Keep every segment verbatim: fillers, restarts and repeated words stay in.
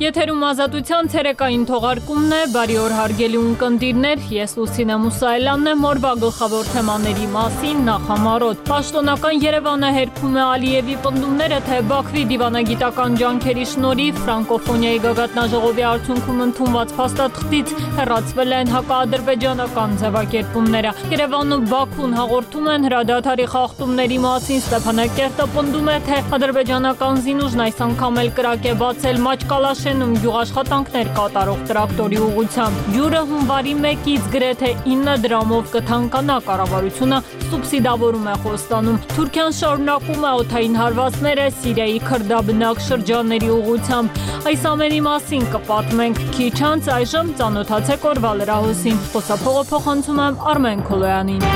Եթերում ազատության ցերեկային թողարկումն է, բարի օր հարգելի ունկնդիրներ, ես Լուսինե Մուսայելյանն եմ, օրվա գլխավոր թեմաների մասին նախամարոտ։ Պաշտոնական Երևանը հերքում է Ալիևի պնդումները, թե Բաքվի դիվանագիտական ջանքերի շնորհիվ ֆրանկոֆոնիայի գագաթնաժողովի արդյունքում ընդունված փաստաթղթից հեռացվել են հակաադրբեջանական ձևակերպումները։ Երևանն ու Բաքուն հաղորդում են հրադադարի խախտումների մասին, Ստեփանակերտը պնդում է, թե ադրբեջանական զինուժն այս անգամ էլ կրակ է բացել Մաճկալաշենում գյուղաշխատանքներ կատարող տրակտորի ուղղությամբ։ Ջուրը հունվարի մեկից գրեթե ինը դրամով կթանկանա, կառավարությունը սուբսիդավորում է Խոստանում։ Թուրքիան շարունակում է օդային հարվածները Սիրիայի քրդաբնակ շրջանների ուղղությամբ։ Այս ամենի մասին կպատմենք քիչ անց, այժմ ծանոթացեք օրվա լրահոսին։ Խոսափողը փոխանցում եմ Արմեն Քոլոյանին։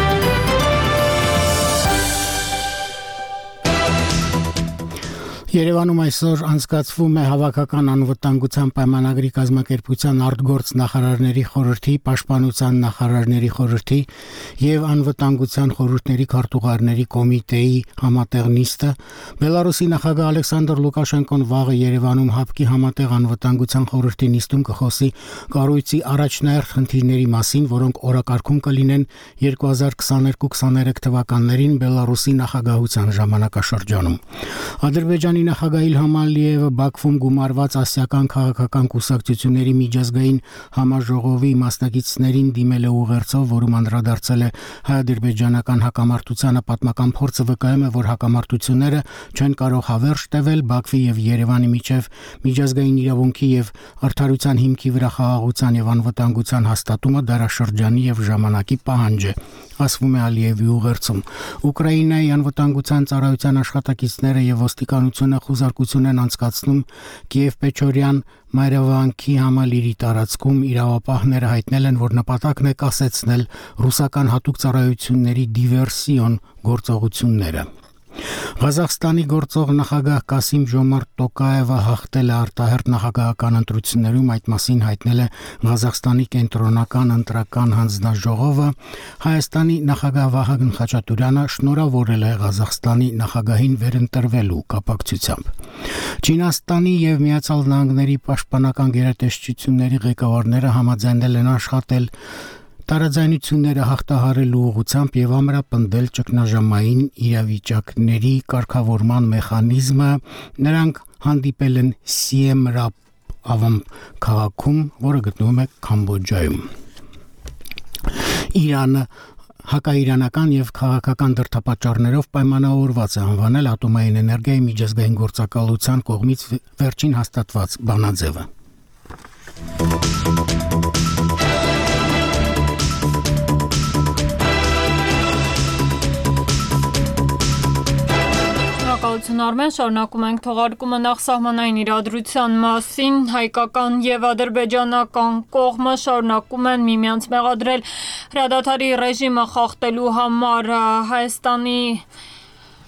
Երևանում այսօր անցկացվում է հավաքական անվտանգության պայմանագրի կազմակերպության արտգործ նախարարների խորհրդի, պաշտպանության նախարարների խորհրդի եւ անվտանգության խորհուրդների քարտուղարների կոմիտեի համատեղ նիստը։ Բելարուսի նախագահ Ալեքսանդր Լուկաշենկոն վաղը Երևանում ՀԱՊԿ-ի համատեղ անվտանգության խորհրդի նիստում կխոսի կառույցի առաջնահերթ խնդիրների մասին, որոնք օրակարգում կլինեն երկու հազար քսաներկու քսաներեք թվականներին Բելարուսի նախագահության ժամանակաշրջանում։ Ադրբեջանի նախագահ Իլհամ Ալիևը Բաքվում գումարված ասիական քաղաքական կուսակցությունների միջազգային համաժողովի մասնակիցներին դիմել է ուղերձով, որում անդրադարձել է հայ-ադրբեջանական հակամարտությանը, պատմական փորձը վկայում է, որ հակամարտությունները չեն կարող հավերժ տևել, Բաքվի եւ Երևանի միջև միջազգային իրավունքի եւ արդարության հիմքի վրա խաղաղության եւ անվտանգության հաստատումը դարաշրջանի եւ ժամանակի պահանջ է, ասվում է Ալիևի ուղերձում։ Ուկրաինայի անվտանգության ծառայության աշխատակիցները եւ ոստիկանությունը խուզարկություն են անցկացնում Կիև-Պեչորյան մայրավանքի համալիրի տարածքում։ Իրավապահները հայտնել են, որ նպատակն է կասեցնել ռուսական հատուկ ծառայությունների դիվերսիոն գործողությունները։ Ղազախստանի գործող նախագահ Կասիմ Ժոմարտ Տոկաևը հաղթել է արտահերթ նախագահական ընտրություններում, այդ մասին հայտնել է Ղազախստանի կենտրոնական ընտրական հանձնաժողովը։ Հայաստանի նախագահ Վահագն Խաչատուրյանը շնորհավորել է Ղազախստանի նախագահին վերընտրվելու կապակցությամբ։ Չինաստանի եւ Միացյալ Նահանգների պաշտպանական գերատեսչությունների ղեկավարները համաձայնել են աշխատել տարաձայնությունները հաղթահարելու ուղղությամբ եւ ամրապնդել ճգնաժամային իրավիճակների կարգավորման մեխանիզմը։ Նրանք հանդիպել են Սիեմ Ռապ ավամ քաղաքում, որը գտնվում է Կամբոջայում։ Իրանը հակաիրանական եւ քաղաքական դրդապատճառներով պայմանավորված է անվանել ատոմային էներգիայի միջազգային գործակալության կողմից վերջին հաստատված բանաձևը։ Արմեն, շարունակում ենք թողարկումը նախսահմանային իրադրության մասին։ Հայկական եւ ադրբեջանական կողմը շարունակում են միմյանց մեղադրել հրադադարի ռեժիմը խախտելու համար։ Հայաստանի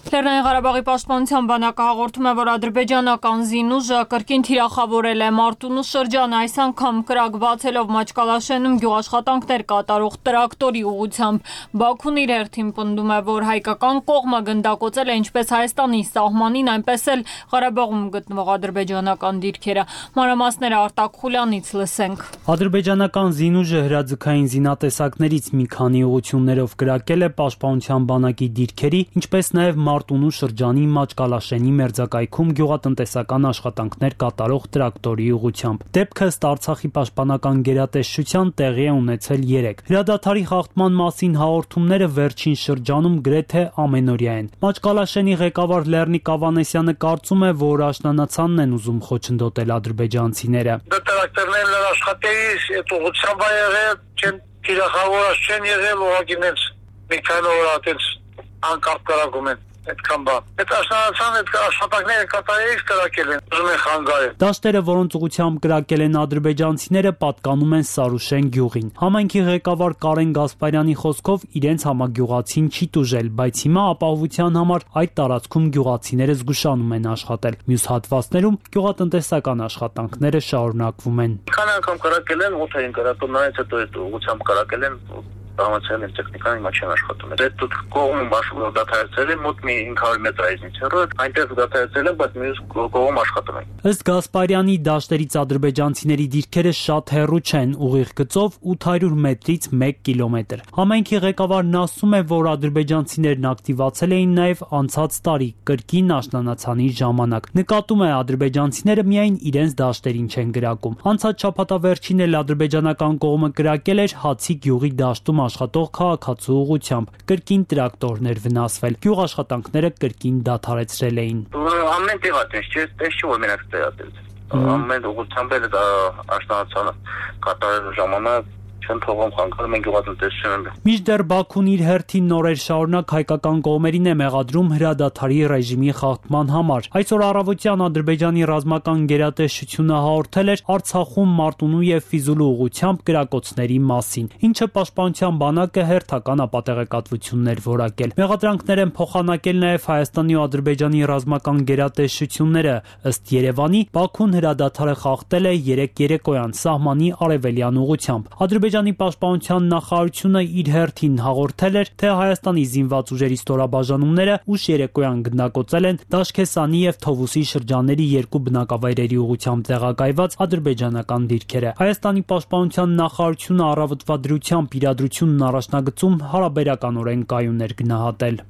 Լեռնային Ղարաբաղի պաշտպանության բանակը հաղորդում է, որ ադրբեջանական զինուժը կրկին թիրախավորել է Մարտունու շրջանը, այս անգամ կրակ բացելով Մաճկալաշենում գյուղաշխատանքներ կատարող տրակտորի ուղղությամբ։ Բաքուն իր հերթին պնդում է, որ հայկական կողմը գնդակոծել է ինչպես Հայաստանի սահմանին, այնպես էլ Ղարաբաղում գտնվող ադրբեջանական դիրքերը։ Մանրամասները Արտակ Խուլյանից լսենք։ Ադրբեջանական զինուժը հրաձգային զինատեսակներից մի քանի ուղղություններով կրակել է պաշտպանության բանակի դիրքերի, ինչպես նաև Մարտունու շրջանի Մաճկալաշենի մերձակայքում գյուղատնտեսական աշխատանքներ կատարող տրակտորի ուղղությամբ։ Դեպքը ըստ Արցախի պաշտպանական գերատեսչության տեղի է ունեցել երեկ։ Հրադադարի խախտման մասին հաղորդումները վերջին շրջանում գրեթե ամենօրյա են։ Մաճկալաշենի ղեկավար Լեռնիկ Ավանեսյանը կարծում է, որ աշնանացանն են ուզում խոչընդոտել ադրբեջանցիները։ Տրակտորներն աշխատելիս այդ ուղղությամբ ա եղել, չեն թիրախավորած չեն եղել, ուղղակի նենց մի քանի օր ատենց անկապ կրակում են։ Այդքան բան։ Այդ աշնանացան այդ աշխատանքները կատարելիս կրակել են, ուզում են խանգարել։ Դաշտերը, որոնց ուղղությամբ կրակել են ադրբեջանցիները, պատկանում են Սարուշեն գյուղին։ Համայնքի ղեկավար Կարեն Գասպարյանի խոսքով իրենց համագյուղացին չի տուժել, բայց հիմա ապահովության համար այդ տարածքում գյուղացիները զգուշանում են աշխատել։ Մյուս հատվածներում գյուղատնտեսական աշխատանքները շարունակվում են։ Քանի անգամ կրակել են, ոթ էին կրակում, նրանից հետո այդ ուղղությամբ կրակել են։ Տամացել են տեխնիկան հիմա չեն աշխատում։ Այդ դուք կողմում աշխատում դադարեցել են մոտ մի հինգ հարյուր մետր այդից հեռու, այնտեղ դադարեցել են, բայց մյուս կողմում աշխատում են։ Ըստ Գասպարյանի դաշտերից ադրբեջանցիների դիրքերը շատ հեռու չեն, ուղիղ գծով ութ հարյուր մետրից մեկ կիլոմետր։ Համայնքի ղեկավարն ասում է, որ ադրբեջանցիներն ակտիվացել էին նաև անցած տարի կրկին աշնանացանի ժամանակ։ Նկատում է, ադրբեջանցիները միայն իրենց դաշտերին չեն գրակում։ Անցած շաբաթավերջին էլ ադրբեջանական կողմը կրակել էր Հացի գյուղի դաշտում աշխատող քաղաքացու ուղղությամբ։ Կրկին տրակտորներ վնասվել։ Գյուղ աշխատանքները կրկին դադարեցրել էին։ Ամեն տեղ ատես չէ, տես չէ որ մենակ տեղ ատես։ Ամեն ուղղությամբ էլ դա աշնանացանը կատարելու ժամանակ չեն թողում խանգարում են գյուղատնտեսությունը։ Մինչդեռ Բաքուն իր հերթին նորեր շարունակ հայկական կողմերին է մեղադրում հրադադարի ռեժիմի խախտման համար։ Այսօր առավոտյան Ադրբեջանի ռազմական գերատեսչությունը հաղորդել էր Արցախում Մարտունու եւ Ֆիզուլու ուղղությամբ կրակոցների մասին, ինչը պաշտպանության բանակը հերթական ապատեղեկատվություններ որակել։ Մեղադրանքներ են փոխանակել նաեւ Հայաստանի ու Ադրբեջանի ռազմական գերատեսչությունները։ Ըստ Երևանի, Բաքուն հրադադարը խախտել է երեք երեկոյան սահմանի արևելյան ուղղությամբ։ Ադրբեջանի պաշտպանության նախարարությունը իր հերթին հաղորդել էր, թե Հայաստանի զինված ուժերի ստորաբաժանումները ուշ երեկոյան գնդակոծել են Դաշքեսանի եւ Թովուսի շրջանների երկու բնակավայրերի ուղղությամբ տեղակայված ադրբեջանական դիրքերը։ Հայաստանի պաշտպանության նախարարությունը առավոտվա դրությամբ իրադրությունն առաջնագծում հարաբերականորեն կայուն էր գնահատել։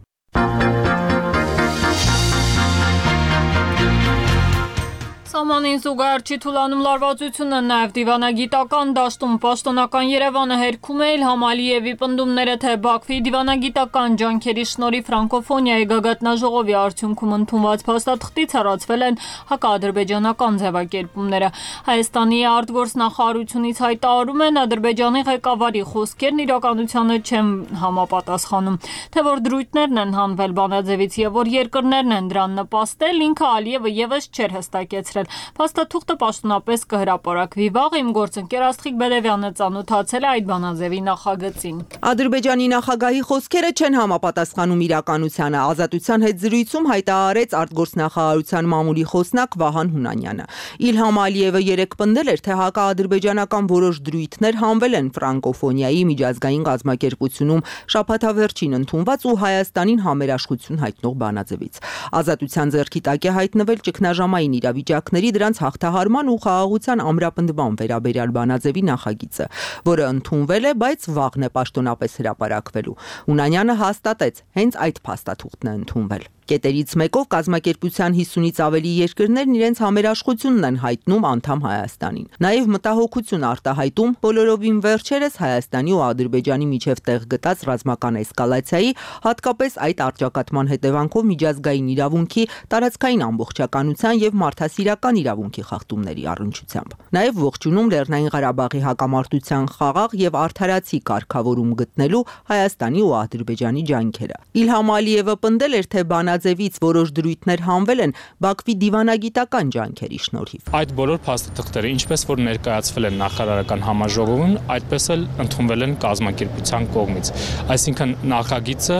Սահմանին զուգահեռ չի թուլանում լարվածությունը, նաև դիվանագիտական դաշտում պաշտոնական Երևանը հերքում է Իլհամ Ալիևի պնդումները, թե Բաքվի դիվանագիտական ջանքերի շնորհիվ ֆրանկոֆոնիայի գագաթնաժողովի արդյունքում ընդունված փաստաթղթից հեռացվել են հակաադրբեջանական ձևակերպումները։ Հայաստանի արտգործնախարարությունից հայտարարում են, Ադրբեջանի ղեկավարի խոսքերն իրականությանը չեն համապատասխանում, թե որ դրույթներն են հանվել բանաձևից եւ որ երկրներն են դրան նպաստել, ինքը Ալիևը եւս չէր հստակեցրել։ Փաստաթուղթը պաշտոնապես կհրապարակվի վաղ։ Իմ գործընկեր Աստղիկ Բերևյանը ծանոթացել է այդ բանաձևի նախագծին։ Ադրբեջանի նախագահի խոսքերը չեն համապատասխանում իրականությանը, Ազատության հետ զրույցում հայտարարեց արտգործնախարարության մամուլի խոսնակ Վահան Հունանյանը։ Իլհամ Ալիևը երեկ պնդել էր, թե հակաադրբեջանական որոշ դրույթներ հանվել են ֆրանկոֆոնիայի միջազգային կազմակերպությունում շաբաթավերջին ընդունված ու Հայաստանին համերաշխություն հայտնող բանաձևից։ Ազատության ձեռքի տակ է հայտնվել ճգնաժամային իրավիճակների դրանց հաղթահարման ու խաղաղության ամրապնդման վերաբերյալ բանաձևի նախագիծը, որը ընդունվել է, բայց վաղն է պաշտոնապես հրապարակվելու։ Հունանյանը հաստատեց, հենց այդ փաստաթուղթն է ընդունվել։ Կետերից մեկով կազմակերպության հիսունից ավելի երկրներն իրենց համերաշխությունն են հայտնում անդամ Հայաստանին։ Նաև մտահոգություն արտահայտում բոլորովին վերջերս Հայաստանի ու Ադրբեջանի միջև տեղ գտած ռազմական էսկալացիայի, հատկապես այդ առճակատման հետևանքով միջազգային իրավունքի, տարածքային ամբողջականության եւ մարդասիրական իրավունքի խախտումների առնչությամբ։ Նաև ողջունում Լեռնային Ղարաբաղի հակամարտության խաղաղ եւ արդարացի կարգավորում գտնելու Հայաստանի ու Ադրբեջանի ջանքերը։ Իլհամ Ալիևը պնդել էր, թե բանաձևից որոշ դրույթներ հանվել են Բաքվի դիվանագիտական ջանքերի շնորհիվ։ Այդ բոլոր փաստաթղթերը, ինչպես որ ներկայացվել են նախարարական համաժողովում, այդպես էլ ընդունվել են կազմակերպության կողմից։ Այսինքն նախագիծը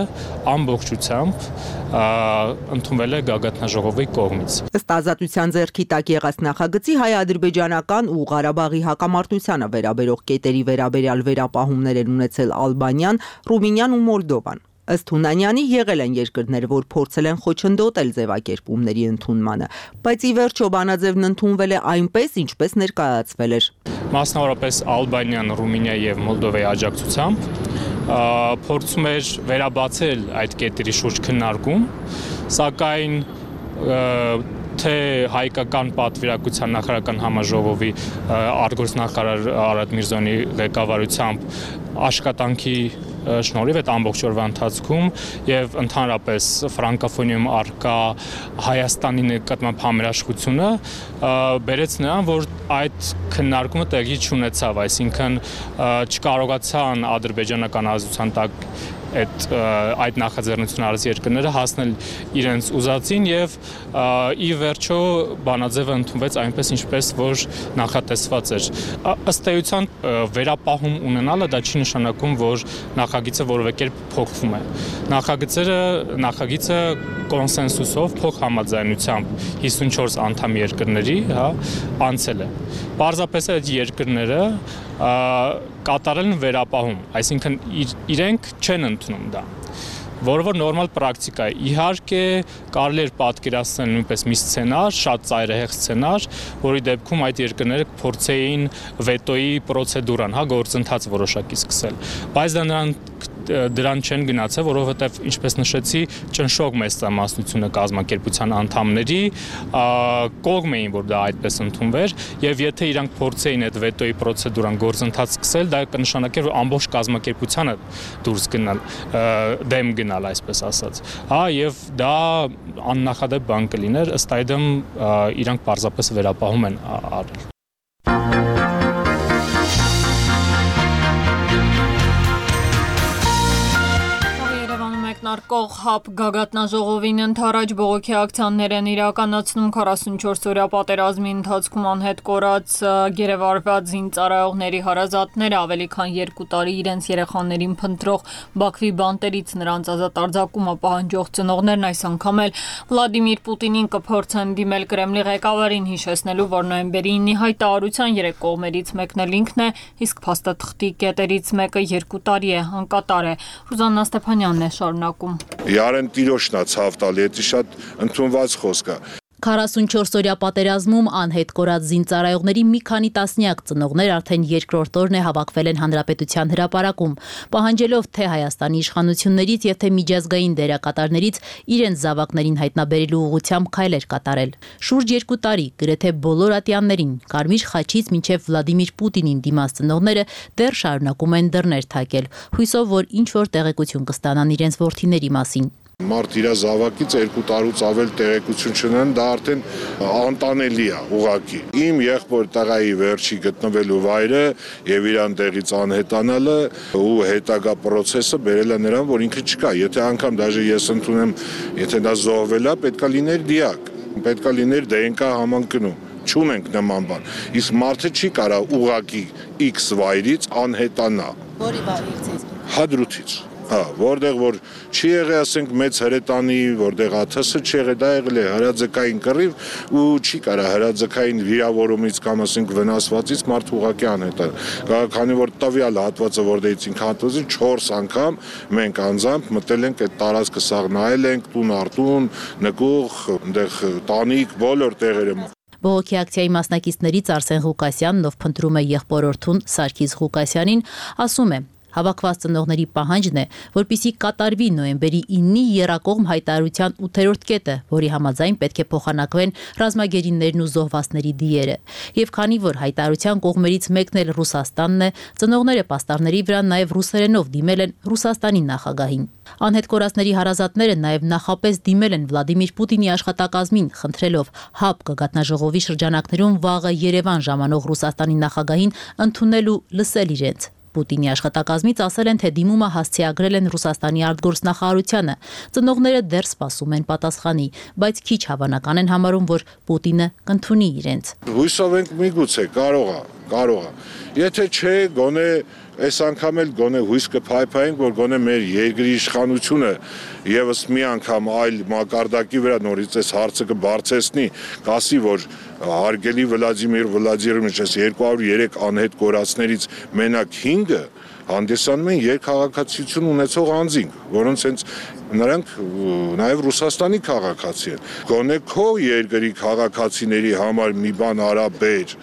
ամբողջությամբ ընդունվել է գագաթնաժողովի կողմից։ Ըստ Ազատության ձեռքի տակ եղած նախագծի հայ-ադրբեջանական ու Ղարաբաղի հակամարտությանը վերաբերող կետերի վերաբերյալ վերապահումներ են ունեցել Ալբանիան, Ռումինիան ու Մոլդովան։ Ըստ Հունանյանի եղել են երկրներ, որ փորձել են խոչընդոտել ձևակերպումների ընդունմանը, բայց ի վերջո բանաձևն ընդունվել է այնպես, ինչպես ներկայացվել էր։ Մասնավորապես Ալբանիան, Ռումինիա եւ Մոլդովայի աջակցությամբ փորձում էր վերաբացել այդ կետերի շուրջ քննարկում, սակայն թե հայկական պատվիրակության նախարարական համաժողովի արտգործնախարար Արադ Միրզոյանի ղեկավարությամբ աշխատանքի շնորհիվ այդ ամբողջ օրվա ընթացքում եւ ընդհանրապես ֆրանկոֆոնիայում արկա Հայաստանի նկատմամբ համերաշխությունը բերեց նրան, որ այդ քննարկումը տեղի չունեցավ, այսինքն չկարողացան ադրբեջանական ազատության տակ այդ այդ նախաձեռնությունը արած երկրները հասնել իրենց ուզածին եւ ի վերջո բանաձևը ընդունվեց այնպես, ինչպես որ նախատեսված էր։ Ըստ էության վերապահում ունենալը դա չի նշանակում, որ նախագիծը որևէ կերպ փոխվում է։ Նախագծերը նախագիծը կոնսենսուսով փոխհամաձայնությամբ հիսունչորս անդամ երկրների, հա, անցել է։ Պարզապես այդ երկրները կատարելն վերապահում, այսինքն իրենք չեն ընդունում դա, որը որ նորմալ պրակտիկա է։ Իհարկե կարելի է պատկերացնել նույնպես մի սցենար, շատ ծայրահեղ սցենար, որի դեպքում այդ երկրները փորձեին վետոյի պրոցեդուրան, հա, գործընթաց որոշակի սկսել, բայց դա նրան դրան չեն գնացել, որովհետև ինչպես նշեցի, ճնշող մեծամասնությունը կազմակերպության անդամների կողմ էին, որ դա այդպես ընդունվեր, եւ եթե իրանք փորձեին այդ վետոյի պրոցեդուրան գործընթաց սկսել, դա կնշանակեր, որ ամբողջ կազմակերպությանը դուրս գնալ, դեմ գնալ, այսպես ասած։ Հա, եւ դա աննախադեպ բան կլիներ, ըստ այդմ իրանք պարզապես վերապահում են արել։ Մեկնարկող ՀԱՊ գագաթնաժողովին ընդառաջ բողոքի ակցիաներ են իրականացնում քառասունչորս օրյա պատերազմի ընթացքում անհետ կորած գերեվարված զինծառայողների հարազատները ավելի քան երկու տարի իրենց երեխաներին փնտրող Բաքվի բանտերից նրանց ազատ արձակումը պահանջող ծնողներն այս անգամ էլ Վլադիմիր Պուտինին կփորձեն դիմել Կրեմլի ղեկավարին, հիշեցնելու, որ նոյեմբերի ինը հայտարարության երեք կողմերից մեկն էլ ինքն է, իսկ փաստաթղթի կետերից մեկը երկու տարի է անկատար է։ Ռուզաննա Ստեփանյանն է շարունակում։ Յարեն տիրոշնա ցավ տալի, դա շատ ընդունված խոսք է։ քառասունչորս օրյա պատերազմում անհետ կորած զինծառայողների մի քանի տասնյակ ծնողներ արդեն երկրորդ օրն է հավաքվել են Հանրապետության հրապարակում, պահանջելով թե Հայաստանի իշխանություններից եւ թե միջազգային դերակատարներից իրենց զավակներին հայտնաբերելու ուղղությամբ քայլեր կատարել։ Շուրջ երկու տարի գրեթե բոլոր ատյաններին, Կարմիր խաչից մինչև Վլադիմիր Պուտինին դիմաց ծնողները դեռ շարունակում են դռներ թակել, հույսով, որ ինչ որ տեղեկություն կստանան իրենց որդիների մասին։ Մարդ իր զավակից երկու տարուց ավել տեղեկություն չունեն, դա արդեն անտանելի է ուղղակի։ Իմ եղբոր տղայի վերջի գտնվելու վայրը եւ իրան տեղից անհետանալը ու հետագա process-ը բերել է նրան, որ ինքը չկա։ Եթե անգամ դաժե ես ընդունեմ, եթե դա զոհվել է, պետքա լիներ դիակ, պետքա լիներ դե են կա համընկնում։ Չունենք նման բան։ Իսկ մարդը չի կարա ուղղակի X վայրից անհետանա։ Որի վայրից։ Հադրութից։ Հա, որտեղ որ չի եղել, ասենք, մեծ հրետանի, որտեղ աթսը չի եղել, դա եղել է հրաձգային կռիվ ու չի կարա հրաձգային վիրավորումից կամ ասենք վնասվածից մարդ ուղղակի անհետանա։ Քանի որ տվյալ հատվածը որտեղից ինքը հատվածի չորս անգամ մենք անձամբ մտել ենք այդ տարածքը սաղ նայել ենք, տուն արտուն, նկուղ, այնտեղ տանիք, բոլոր տեղերը։ Բողոքի ակցիայի մասնակիցներից Արսեն Ղուկասյանն, ով փնտրում է եղբորորդուն Սարգիս Ղուկասյանին, ասում է. Հավաքված ծնողների պահանջն է, որպեսզի կատարվի նոյեմբերի ինի եռակողմ հայտարարության ութերորդ կետը, որի համաձայն պետք է փոխանակվեն ռազմագերիներն ու զոհվածների դիերը։ Եվ քանի որ հայտարարության կողմերից մեկն էլ Ռուսաստանն է, ծնողները պաստառների վրա նաև ռուսերենով դիմել են Ռուսաստանի նախագահին։ Անհետ կորածների հարազատները նաև նախապես դիմել են Վլադիմիր Պուտինի աշխատակազմին, խնդրելով ՀԱՊ գագաթնաժողովի շրջանակներում վաղը Երևան ժամանող Ռուսաստանի նախագահին ընդունել ու լսել իրենց։ Պուտինի աշխատակազմից ասել են, թե դիմումը հասցեագրել են Ռուսաստանի արտգործնախարարությանը։ Ծնողները դեռ սպասում են պատասխանի, բայց քիչ հավանական են համարում, որ Պուտինը կընդունի իրենց։ Հույսով ենք միգուցե կարող է, կարող է։ Եթե չէ, գոնե այս անգամ էլ գոնե հույս կփայփայենք, որ գոնե մեր երկրի իշխանությունը եւս մի անգամ այլ մակարդակի վրա նորից այս հարցը կբարձեցնի, կասի, որ հարգելի Վլադիմիր Վլադիմիրովիչ, այս երկու հարյուր երեք անհետ կորածներից մենակ հինգը հանդիսանում են երկքաղաքացիություն ունեցող անձինք, որոնց հենց նրանք նաև Ռուսաստանի քաղաքացի են։ Գոնե քո երկրի քաղաքացիների համար մի բան արա բեր։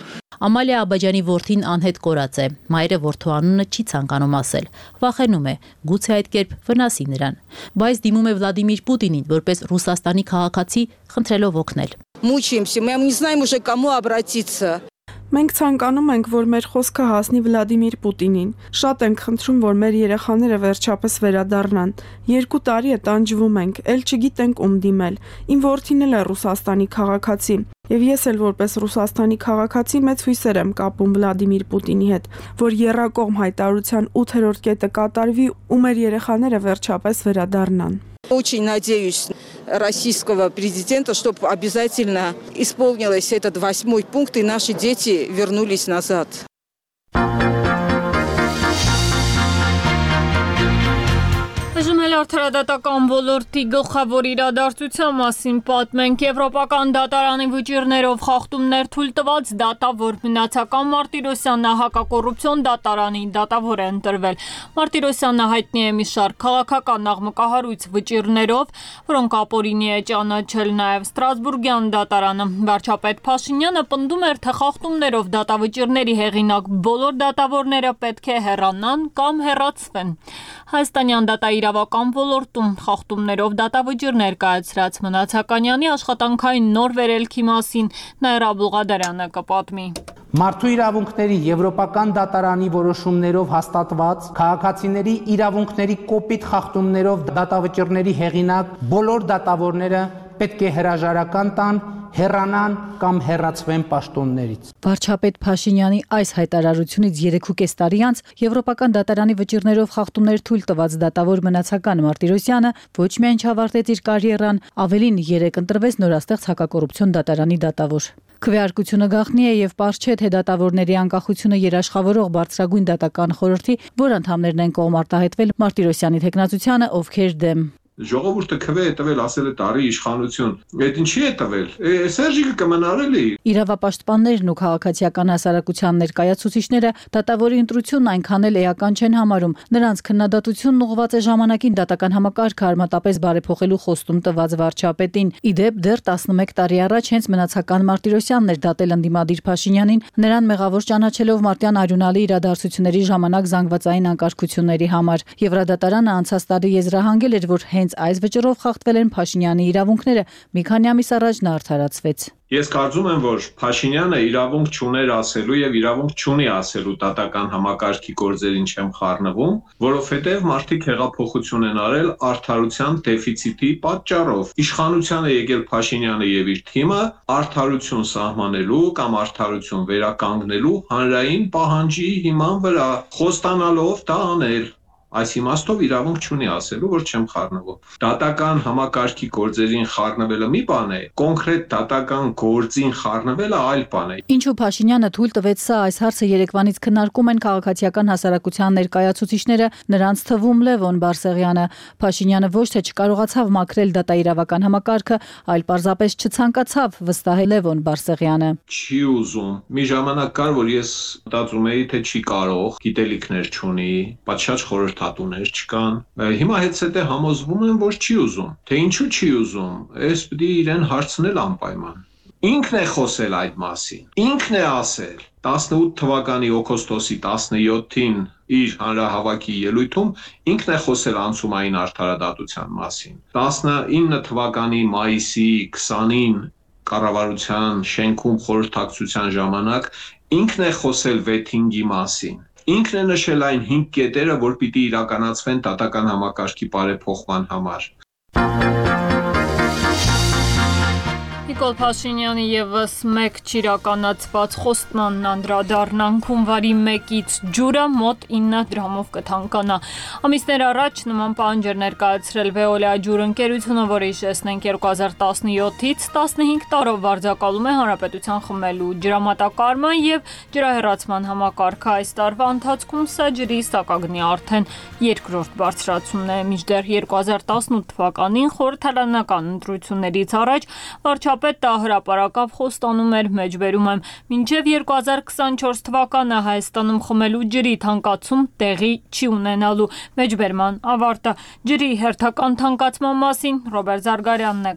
Ամալիա Աբաջանի որդին անհետ կորած է։ Մայրը որդու անունը չի ցանկանում ասել։ Վախենում է, գուցե այդ կերպ վնասի նրան։ Բայց դիմում է Վլադիմիր Պուտինին, որպես Ռուսաստանի քաղաքացի, խնդրելով օգնել։ Мучаемся, мы не знаем уже кому обратиться. Մենք ցանկանում ենք, որ մեր խոսքը հասնի Վլադիմիր Պուտինին։ Շատ ենք խնդրում, որ մեր երեխաները վերջապես վերադառնան։ Երկու տարի է տանջվում ենք, ել չգիտենք ում դիմել։ Իմ որդին էլ է Ռուսաստանի քաղաքացի, եւ ես էլ որպես Ռուսաստանի քաղաքացի մեծ հույսեր եմ կապում Վլադիմիր Պուտինի հետ, որ եռակողմ հայտարարության ութերորդ կետը կատարվի ու մեր երեխաները վերջապես վերադառնան։ Очень надеюсь российского президента, чтобы обязательно исполнилось этот восьмой пункт и наши дети вернулись назад. Բժշկել Արդարադատական ոլորտի գլխավոր իրադարձության մասին պատմենք։ Եվրոպական դատարանի վճիռներով խախտումներ թույլ տված դատավոր Մնացական Մարտիրոսյանը հակակոռուպցիոն դատարանի դատավոր է ընտրվել։ Մարտիրոսյանը հայտնի է մի շարք քաղաքական աղմկահարույց վճիռներով, որոնք ապօրինի է ճանաչել նաև Ստրասբուրգյան դատարանը։ Վարչապետ Փաշինյանը պնդում էր, թե խախտումներով դատավճիռների հեղինակ բոլոր դատավորները պետք է հեռանան կամ հեռացվեն։ Հայաստանյան դատաիրավական ոլորտում խախտումներով դատավճիռներ կայացրած Մնացականյանի աշխատանքային նոր վերելքի մասին Նաիրա Բուղադարյանը կպատմի։ Մարդու իրավունքների Եվրոպական դատարանի որոշումներով հաստատված քաղաքացիների իրավունքների կոպիտ խախտումներով դատավճիռների հեղինակ բոլոր դատավորները պետք է հրաժարական տան, հեռանան կամ հեռացվեն պաշտոններից։ Վարչապետ Փաշինյանի այս հայտարարությունից երեքուկես տարի անց Եվրոպական դատարանի վճիռներով խախտումներ թույլ տված դատավոր Մնացական Մարտիրոսյանը ոչ միայն չավարտեց իր կարիերան, ավելին երեք ընտրվեց նորաստեղծ հակակոռուպցիոն դատարանի դատավոր։ Քվեարկությունը գաղտնի է եւ պարզ չէ, թե դատավորների անկախությունը երաշխավորող բարձրագույն դատական խորհրդի, որ անդամներն են կողմ արտահայտվել Մարտիրոսյանի թեկնածությանը, ովքեր դեմ։ Ժողովուրդը քվե է տվել, ասել է տարի իշխանություն։ Այդ ինչի է տվել։ Սերժիկը կմնարելի։ Իրավապաշտպաններն ու քաղաքացիական հասարակության ներկայացուցիչները դատավորի ընտրությունն այնքան էլ էական չեն համարում։ Նրանց քննադատությունն ուղղված է ժամանակին դատական համակարգը արմատապես բարեփոխելու խոստում տված վարչապետին։ Իդեպ դեռ տասնմեկ տարի առաջ հենց Մնացական Մարտիրոսյանն էր դատել ընդդիմադիր Փաշինյանին, նրան մեղավոր ճանաչելով մարտյան արյունալի իրադարձությունների ժամանակ զանգվածային անկարգությունների համար։ Եվրադատարանը անցած տարի եզրահանգել էր, որ հենց այս վճռով խախտվել են Փաշինյանի իրավունքները, մի քանի ամիս առաջ նա արդարացվեց։ Ես կարծում եմ, որ Փաշինյանը իրավունք չուներ ասելու եւ իրավունք չունի ասելու դատական համակարգի գործերին չեմ խառնվում, որովհետեւ մարդիկ հեղափոխություն են արել արդարության դեֆիցիտի պատճառով։ Իշխանության է եկել Փաշինյանը եւ իր թիմը արդարություն սահմանելու կամ արդարություն վերականգնելու հանրային պահանջի հիման վրա խոստանալով դա անել։ Այս իմաստով իրավունք չունի ասելու, որ չեմ խառնվում։ Դատական համակարգի գործերին խառնվելը մի բան է, կոնկրետ դատական գործին խառնվելը այլ բան է։ Ինչու Փաշինյանը թույլ տվեց սա, այս հարցը երեկվանից քննարկում են քաղաքացիական հասարակության ներկայացուցիչները, նրանց թվում Լևոն Բարսեղյանը։ Փաշինյանը ոչ թե չկարողացավ մաքրել դատաիրավական համակարգը, այլ պարզապես չցանկացավ, վստահել Լևոն Բարսեղյանը։ Չի ուզում։ Մի ժամանակ կար, որ ես մտածում էի, թե չի կարող, գիտելիքներ չունի, պատշաճ խորհրդ հատուներ չկան։ Հիմա հետսետե համոզվում եմ, որ չի ուզում։ Թե ինչու չի ուզում, ես պիտի իրեն հարցնել անպայման։ Ինքն է խոսել այդ մասին։ Ինքն է ասել տասնութ թվականի օգոստոսի տասնյոթին իր հանրահավաքի ելույթում ինքն է խոսել անցումային արդարադատության մասին։ տասնինը թվականի մայիսի քսանին կառավարության շենքում խորհրդակցության ժամանակ ինքն է խոսել վեթինգի մասին։ Ինքն է նշել այն հինգ կետերը, որ պիտի իրականացվեն դատական համակարգի բարեփոխման համար։ Նիկոլ Փաշինյանի ևս մեկ չիրականացված խոստմանն անդրադառնանք հունվարի մեկից ջուրը մոտ ինը դրամով կթանկանա։ Ամիսներ առաջ նման պահանջ էր ներկայացրել Veolia ջուր ընկերությունը, որը հիշեցնենք երկու հազար տասնյոթից տասնհինգ տարով վարձակալում է հանրապետության խմելու ջրամատակարարման եւ ջրահեռացման համակարգը։ Այս տարվա ընթացքում սա ջրի սակագնի արդեն երկրորդ բարձրացումն է։ Մինչդեռ երկու հազար տասնութ թվականին խորհրդարանական ընտրություններից առաջ վարչապետը հրապարակավ խոստանում էր, մեջբերում եմ, մինչև երկու հազար քսանչորս թվականը Հայաստանում խմելու ջրի թանկացում տեղի չի ունենալու։ Մեջբերման ավարտը ջրի հերթական թանկացման մասին Ռոբերտ Զարգարյանն է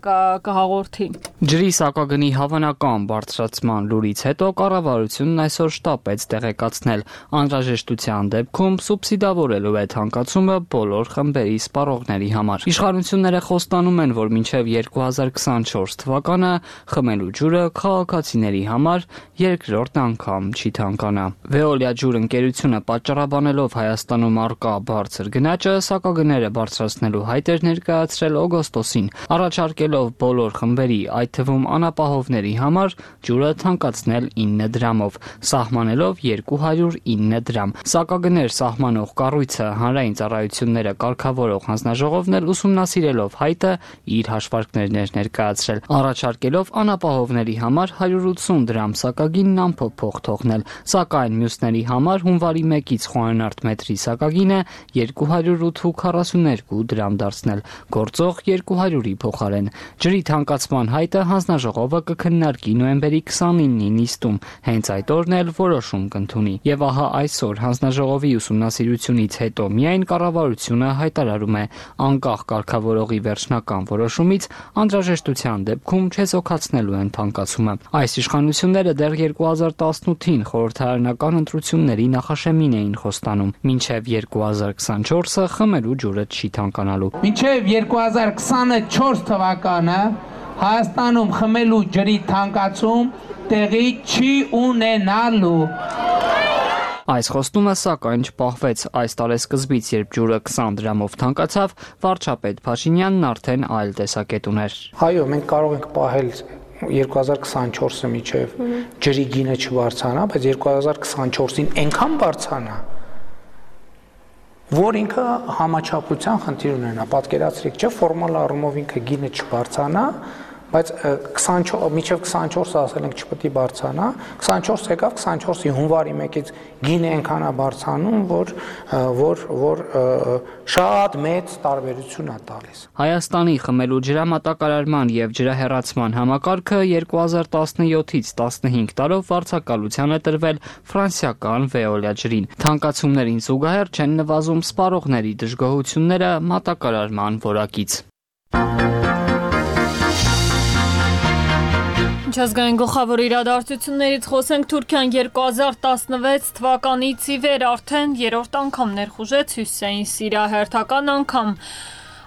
կհաղորդի։ Ջրի սակագնի հավանական բարձրացման լուրից հետո կառավարությունն այսօր շտապեց տեղեկացնել անհրաժեշտության դեպքում սուբսիդավորելու է թանկացումը բոլոր խմբերի սպառողների համար։ Իշխանությունները խոստանում են, որ մինչև երկու հազար քսանչորս թվականը խմելու ջուրը քաղաքացիների համար երկրորդ անգամ չի թանկանա։ Veolia ջուր ընկերությունը պատճառաբանելով Հայաստանում առկա բարձր գնաճը սակագները բարձրացնելու հայտ էր ներկայացրել օգոստոսին, առաջարկելով բոլոր խմբերի, այդ թվում անապահովների համար ջուրը թանկացնել ինը դրամով, սահմանելով երկու հարյուր ինը դրամ։ Սակագներ սահմանող կառույցը հանրային ծառայությունները կարգավորող հանձնաժողովն էլ ուսումնասիրելով հայտը իր հաշվարկներն էր ներկայացրել։ Առաջարկել որոշակելով անապահովների համար հարյուր ութսուն դրամ սակագինն անփոփոխ թողնել, սակայն մյուսների համար հունվարի մեկից խոհանարդ մետրի սակագինը երկու հարյուր քառասունութ դրամ դարձնել, գործող երկու հարյուրի փոխարեն։ Ջրի թանկացման հայտը հանձնաժողովը կքննարկի նոյեմբերի քսանինին նիստում, հենց այդ օրն էլ որոշում կընդունի։ Եվ ահա այսօր հանձնաժողովի ուսումնասիրությունից հետո միայն կառավարությունը հայտարարում է անկախ կարգավորողի վերջնական որոշումից անհրաժեշտության դեպքում չեզոքացնելու են թանկացումը։ Այս իշխանությունները դեռ երկու հազար տասնութին խորհրդարանական ընտրությունների նախաշեմին էին խոստանում, մինչև երկու հազար քսանչորսը խմելու ջուրը չի թանկանալու։ Մինչև երկու հազար քսանչորս թվականը Հայաստանում խմելու ջրի թանկացում տեղի չի ունենալու։ Այս խոստումը սակայն չպահվեց։ Այս տարեսկզբից, երբ ջուրը քսան դրամով թանկացավ, վարչապետ Փաշինյանն արդեն այլ տեսակետ ուներ։ Այո, մենք կարող ենք պահել երկու հազար քսանչորսը միջև ջրի գինը չբարձրանա, բայց երկու հազար քսանչորսին այնքան բարձրանա, որ ինքը համաչափության խնդիր ունենա։ Պատկերացրեք, չէ, ֆորմալ առումով ինքը գինը չբարձրանա, բայց միջև քսանչորսը ասել ենք չպետք է բարձրանա, քսանչորս եկավ, քսանչորսի հունվարի մեկից գինը այնքան է բարձրանում, որ որ որ շատ մեծ տարբերություն է տալիս։ Հայաստանի խմելու ջրամատակարարման եւ ջրահեռացման համակարգը երկու հազար տասնյոթից տասնհինգ տարով վարձակալության է տրվել ֆրանսիական Veolia ջրին։ Թանկացումներին զուգահեռ չեն նվազում սպառողների դժգոհությունները մատակարարման որակից։ Միջազգային գլխավոր իրադարձություններից խոսենք Թուրքիան երկու հազար տասնվեց թվականից ի վեր արդեն երրորդ անգամ ներխուժեց Հյուսիսային Սիրիա հերթական անգամ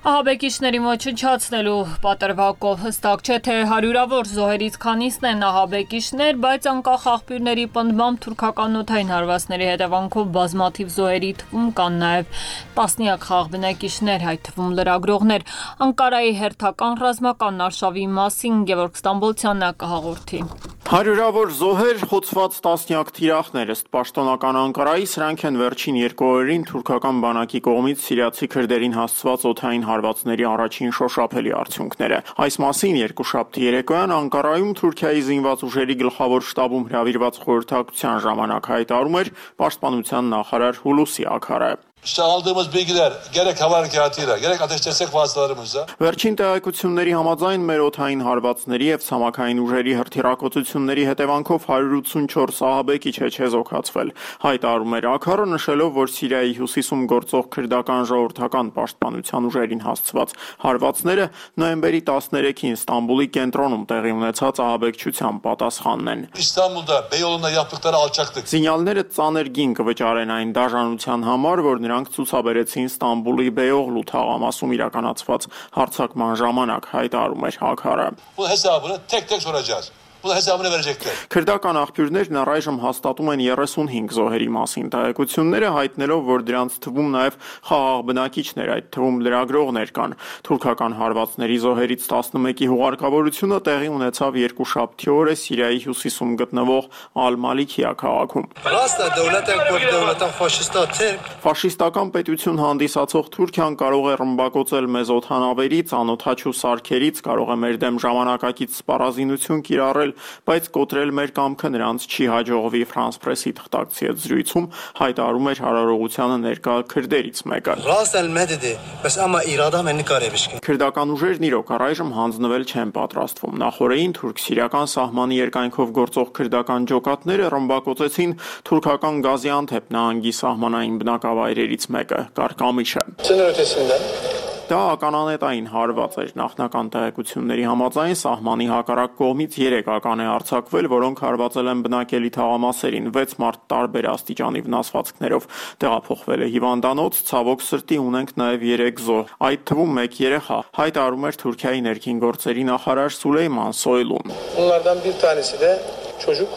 ահաբեկիչներին ոչնչացնելու պատրվակով։ Հստակ չէ, թե հարյուրավոր զոհերից քանիսն են ահաբեկիչներ, բայց անկախ աղբյուրների պնդմամբ թուրքական օդային հարվածների հետևանքով բազմաթիվ զոհերի թվում կան նաև տասնյակ խաղ բնակիչներ, այդ թվում լրագրողներ։ Անկարայի հերթական ռազմական արշավի մասին Գևորգ Ստամբոլցյանը կհաղորդի։ Հարյուրավոր զոհեր, խոցված տասնյակ թիրախներ, ըստ պաշտոնական Անկարայի, սրանք են վերջին երկու օրերին թուրքական բանակի կողմից սիրիացի քրդերին հասցված օդային հարվածների առաջին շոշափելի արդյունքները։ Այս մասին երկուշաբթի երեկոյան Անկարայում Թուրքիայի զինված ուժերի գլխավոր շտաբում հրավիրված խորհրդակցության ժամանակ հայտարարում էր պաշտպանության նախարար Հուլուսի Աքարը։ İşte aldığımız bilgiler gerek hava harekatıyla gerek ateş destek vasıtalarımızla Վերջին տեղեկությունների համաձայն մեր օդային հարվածների եւ ցամաքային ուժերի հրթիռակոծությունների հետևանքով հարյուր ութսունչորս ահաբեկիչ է չեզոքացվել։ Հայտարարում էր Աքարը, նշելով, որ Սիրիայի հյուսիսում գործող քրդական ժողովրդական պաշտպանության ուժերին հասցված հարվածները նոյեմբերի տասներեքին Ստամբուլի կենտրոնում տեղի ունեցած ահաբեկչության պատասխանն են։ İstanbul'da Beyoğlu'nda yaptıkları alçaklık Զինյալները ծանր գին կվճարեն այն դաժանության համար, որ նրանք ցուցաբերեցին Ստամբուլի Beyoğlu թաղամասում իրականացված հարձակման ժամանակ, հայտարարում էր Աքարը։ Bu hesabını tek tek soracağız. Bunun hesabını verecekler. Քրդական աղբյուրներն առայժմ հաստատում են երեսունհինգ զոհերի մասին տեղեկությունները, հայտնելով, որ դրանց թվում նաև խաղաղ բնակիչներ, այդ թվում լրագրողներ կան։ Թուրքական հարվածների զոհերից տասնմեկի հուղարկավորությունը տեղի ունեցավ երկուշաբթի օրը Սիրիայի հյուսիսում գտնվող Ալ-Մալիքիա քաղաքում։ Ֆաշիստական պետություն հանդիսացող Թուրքիան կարող է ռմբակոծել մեզ օդանավերից, անօդաչու սարքերից, կարող է մեր դեմ ժամանակակից սպառազինություն կիրառել, բայց կոտրել մեր կամքը նրանց չի հաջողվի, Ֆրանս պրեսի թղթակցի հետ զրույցում հայտարարում էր հարարողությանը ներկա քրդերից մեկը։ Քրդական ուժերն իրոք առայժմ հանձնվել չեն պատրաստվում։ Նախորդին թուրք-սիրիական սահմանի երկայնքով գործող քրդական ջոկատները ռմբակոծեցին թուրքական Գազիանթեփ նահանգի սահմանային բնակավայրերից մեկը՝ Կարկամիշը։ Դա ականանետային հարված էր։ Նախնական տեղեկությունների համաձայն սահմանի հակառակ կողմից երեք ական է արձակվել, որոնք հարվածել են բնակելի թաղամասերին, վեց մարդ տարբեր աստիճանի վնասվածքներով տեղափոխվել է հիվանդանոց, ցավոք սրտի ունենք նաև երեք զոհ, այդ թվում մեկ երեխա, հայտարարում էր Թուրքիայի ներքին գործերի նախարար Սուլեյման Սոյլուն։ Bunlardan bir tanesi de çocuk.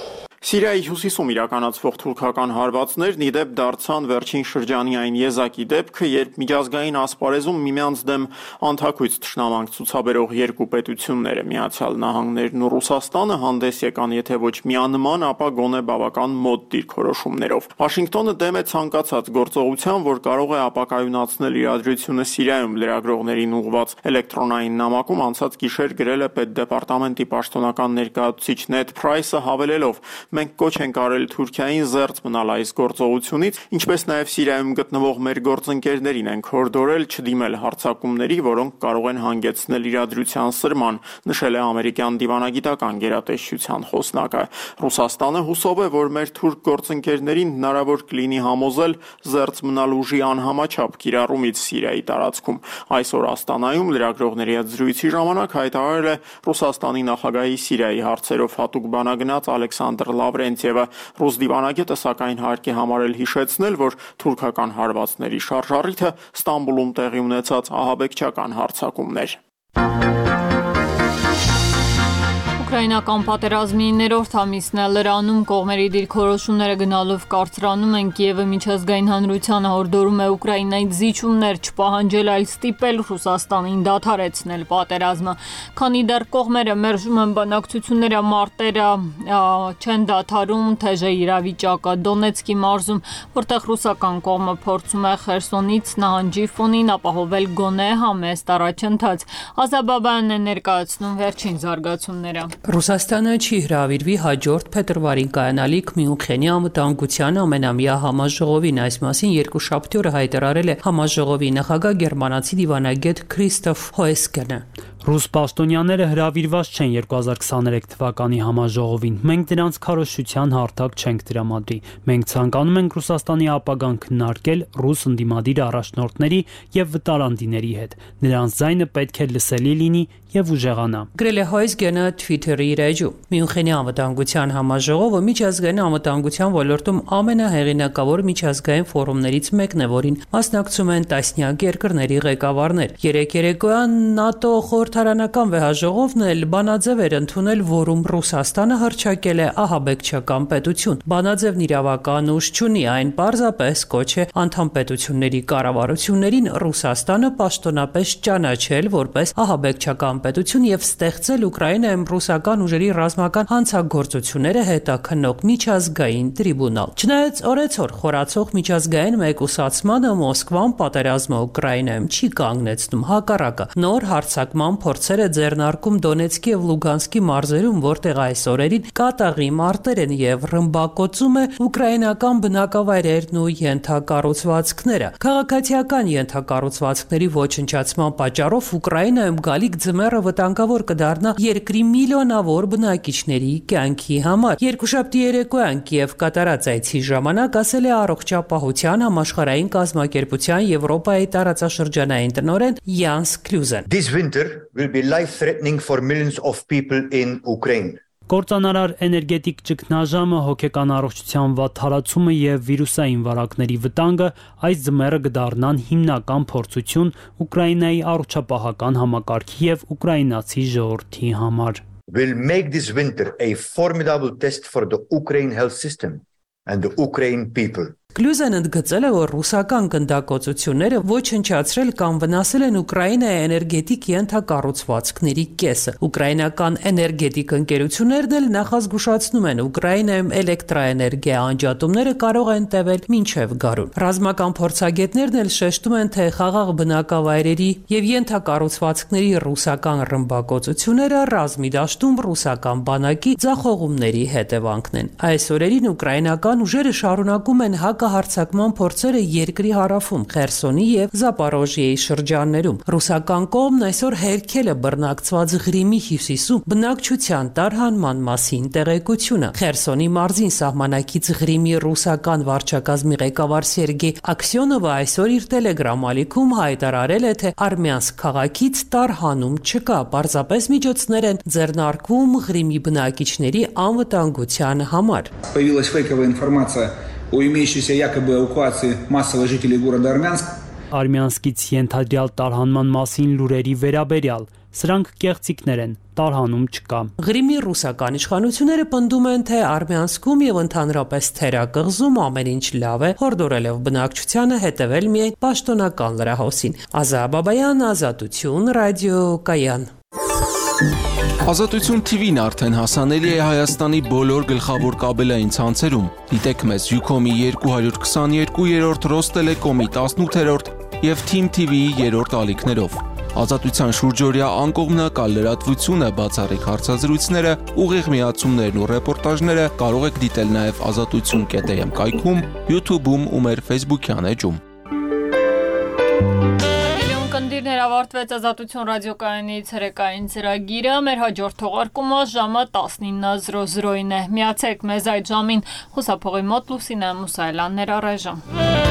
Սիրիայի հյուսիսում իրականացվող թուրքական հարվածներն ի դեպ դարձան վերջին շրջանի այն եզակի դեպքը, երբ միջազգային ասպարեզում միմյանց դեմ անթաքույց թշնամանք ցուցաբերող երկու պետությունները՝ Միացյալ Նահանգներն ու Ռուսաստանը, հանդես եկան եթե ոչ միանման, ապա գոնե բավական մոտ դիրքորոշումներով։ Վաշինգտոնը դեմ է ցանկացած գործողության, որ կարող է ապակայունացնել իրադրությունը Սիրիայում լրագրողներին ուղղված էլեկտրոնային նամակում անցած գիշեր գրել է պետդեպարտամենտի պաշտոնական ներկայացուցիչ Նեդ Փրայսը, հավելելով. Մենք կոչ ենք արել Թուրքիային զերծ մնալ այս գործողությունից, ինչպես նաև Սիրիայում գտնվող մեր գործընկերներին ենք հորդորել չդիմել հարձակումների, որոնք կարող են հանգեցնել իրադրության սրման, նշել է ամերիկյան դիվանագիտական գերատեսչության խոսնակը։ Ռուսաստանը հուսով է, որ մեր թուրք գործընկերներին հնարավոր կլինի համոզել զերծ մնալ ուժի անհամաչափ կիրառումից Սիրիայի տարածքում։ Այսօր Աստանայում լրագրողների հետ զրույցի ժամանակ հայտարարել է Ռուսաստանի նախագահի Սիրիայի հարցերով հատուկ բանագնաց Ալեքսանդր Լավրենտիևը։ Ռուս դիվանագետը սակայն հարկ է համարել հիշեցնել, որ թուրքական հարվածների շարժառիթը Ստամբուլում տեղի ունեցած ահաբեկչական հարձակումներ։ Ուկրաինական պատերազմի ներորդ ամիսն է լրանում, կողմերի դիրքորոշումները գնալով կարծրանում են, Կիևը միջազգային հանրությանը հորդորում է Ուկրաինայից զիջումներ չպահանջել, այլ ստիպել Ռուսաստանին դադարեցնել պատերազմը։ Քանի դեռ կողմերը մերժում են բանակցությունները, մարտերը չեն դադարում, թեժ է իրավիճակը Դոնեցկի մարզում, որտեղ ռուսական կողմը փորձում է Խերսոնից նահանջի ֆոնին ապահովել գոնե համեստ առաջընթաց։ Ազաբաբանն է ներկայացնում վերջին զարգացումները։ Ռուսաստանը չի հրավիրվի հաջորդ փետրվարին կայանալիք Մյունխենի անվտանգության ամենամյա համաժողովին, այս մասին երկուշաբթի օրը հայտարարել է համաժողովի նախագահ գերմանացի դիվանագետ Քրիստոֆ Հոեսկենը։ Ռուս պաշտոնյաները հրավիրված չեն երկու հազար քսաներեք թվականի համաժողովին։ Մենք դրանց քարոզչության հարթակ չենք տրամադրի։ Մենք ցանկանում ենք Ռուսաստանի ապագան քննարկել ռուս ընդդիմադիր առաջնորդների եւ վտարանդիների հետ։ Նրանց ձայնը պետք է լսելի լինի եւ ուժեղանա։ Գրել է Հոյսգենը Twitter-ի իր էջում։ Մյունխենի անվտանգության համաժողովը միջազգային անվտանգության ոլորտում ամենահեղինակավոր միջազգային ֆորումներից մեկն է, որին մասնակցում են տասնյակ երկրների ղեկավարներ։ Երեք երեկոյան ՆԱՏՕ խորհրդարանական վեհաժողովն էլ բանաձև էր ընդունել, որում Ռուսաստանը հռչակել է ահաբեկչական պետություն։ Բանաձևն իրավական ուժ չունի, այն պարզապես կոչ է անդամ պետությունների կառավարություններին Ռուսաստանը պաշտոնապես ճանաչել որպես ահաբեկչական պետություն եւ ստեղծել Ուկրաինայում ռուսական ուժերի ռազմական հանցագործությունները հետաքննող միջազգային տրիբունալ։ Չնայած օրեցօր խորացող միջազգային մեկուսացմանը, Մոսկվան պատերազմը Ուկրաինայում չի կանգնեցնում, հակառակը նոր հարձակման փորձեր է ձեռնարկում Դոնեցկի եւ Լուգանսկի մարզերում, որտեղ այս օրերին կատաղի մարտեր են եւ ռմբակոծում է ուկրաինական բնակավայրերն ու ենթակառուցվածքները։ Քաղաքացիական ենթակառուցվածքների ոչնչացման պատճառով Ուկրաինայում գալիք ձմեռը վտանգավոր կդառնա երկրի միլիոնավոր բնակիչների կյանքի համար։ Երկուշաբթի երեկոյան Կիև կատարած այցի ժամանակ ասել է առողջապահության համաշխարհային կազմակերպության Եվրոպայի տարածաշրջանային տնօրեն Յանս Քլյուզեն։ This winter will be life-threatening for millions of people in Ukraine. Կործանարար էներգետիկ ճգնաժամը, հոգեկան առողջության վատթարացումը եւ վիրուսային վարակների վտանգը այս ձմեռը կդառնան հիմնական փորձություն Ուկրաինայի առողջապահական համակարգի եւ ուկրաինացի ժողովրդի համար։ Will make this winter a formidable test for the Ukraine health system and the Ukraine people. Քլյուզեն ընդգծել է, որ ռուսական գնդակոծությունները ոչնչացրել կամ վնասել են Ուկրաինայի էներգետիկ ենթակառուցվածքների կեսը։ Ուկրաինական էներգետիկ ընկերություններն էլ նախազգուշացնում են, Ուկրաինայում էլեկտրաէներգիա անջատումները կարող են տևել մինչև գարուն։ Ռազմական փորձագետներն էլ շեշտում են, թե խաղաղ բնակավայրերի եւ ենթակառուցվածքների ռուսական ռմբակոծությունները ռազմի դաշտում ռուսական բանակի ձախողումների հետևանքն են։ Այս օրերին ուկրաինական ուժերը շարունակում են հակ հարձակման փորձերը երկրի հարավում, Խերսոնի եւ Զապորոժիեի շրջաններում։ Ռուսական կողմն այսօր հերքել է բռնակցված Ղրիմի հյուսիսում բնակչության տարհանման մասին տեղեկությունը։ Խերսոնի մարզին սահմանակից Ղրիմի ռուսական վարչակազմի ղեկավար Սերգեյ Աքսյոնովը այսօր իր Telegram ալիքում հայտարարել է, թե Արմյանսկ քաղաքից տարհանում չկա, պարզապես միջոցներ են ձեռնարկվում Ղրիմի բնակիչների անվտանգության համար։ Появилась фейковая информация о имеющейся якобы эвакуации массовых жителей города Армянск. Արմյանսկից ենթադրյալ տարհանման մասին լուրերի վերաբերյալ Սրանք կեղծիքներ են, տարհանում չկա։ Ղրիմի ռուսական իշխանությունները պնդում են, թե Արմյանսկում եւ ընդհանրապես Թերակղզում ամեն ինչ լավ է, հորդորելով բնակչությանը հետևել միայն պաշտոնական լրահոսին։ Ազա Բաբայան, Ազատություն, ռադիոկայան։ Ազատություն T V-ն արդեն հասանելի է Հայաստանի բոլոր գլխավոր կաբելային ցանցերում։ Դիտեք մեզ Ucom-ի երկու հարյուր քսաներկու, Ռոստելեկոմի տասնութերորդ եւ Team T V-ի երրորդ ալիքներով։ Ազատության շուրջօրյա անկողմնակալ լրատվությունը, բացառիկ հարցազրույցները, ուղիղ միացումներն ու ռեպորտաժները կարող եք դիտել նաև ազատություն կետ am կայքում, YouTube-ում ու մեր Facebook-յան էջում։ Կնդիրներ ավարտվեց Ազատություն ռադիոկայանի ցերեկային ծրագիրը, մեր հաջորդ թողարկումը ժամը տասնինը զրո զրոին է։ Միացեք մեզ այդ ժամին, խուսափողի մոտ Լուսինե Մուսայելյաններ առայժմ։